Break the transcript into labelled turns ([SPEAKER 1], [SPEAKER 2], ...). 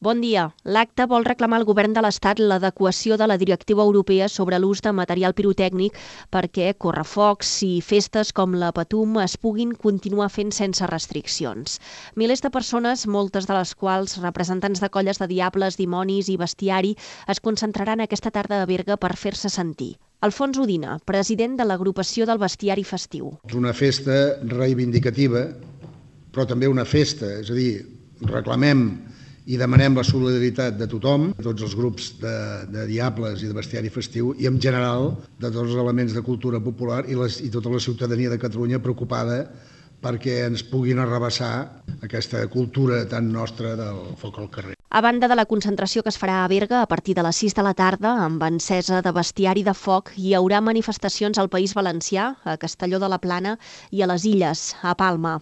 [SPEAKER 1] Bon dia. L'acte vol reclamar al govern de l'Estat l'adequació de la directiva europea sobre l'ús de material pirotècnic perquè correfocs i festes com la Patum es puguin continuar fent sense restriccions. Milers de persones, moltes de les quals representants de colles de diables, dimonis i bestiari, es concentraran aquesta tarda a Berga per fer-se sentir. Alfons Udina, president de l'agrupació del bestiari festiu.
[SPEAKER 2] És una festa reivindicativa, però també una festa, és a dir, reclamem i demanem la solidaritat de tothom, de tots els grups de diables i de bestiari festiu i en general de tots els elements de cultura popular i tota la ciutadania de Catalunya preocupada perquè ens puguin arrabassar aquesta cultura tan nostra del foc al carrer.
[SPEAKER 1] A banda de la concentració que es farà a Berga a partir de les 6 de la tarda, amb encesa de bestiari de foc, hi haurà manifestacions al País Valencià, a Castelló de la Plana i a les Illes, a Palma.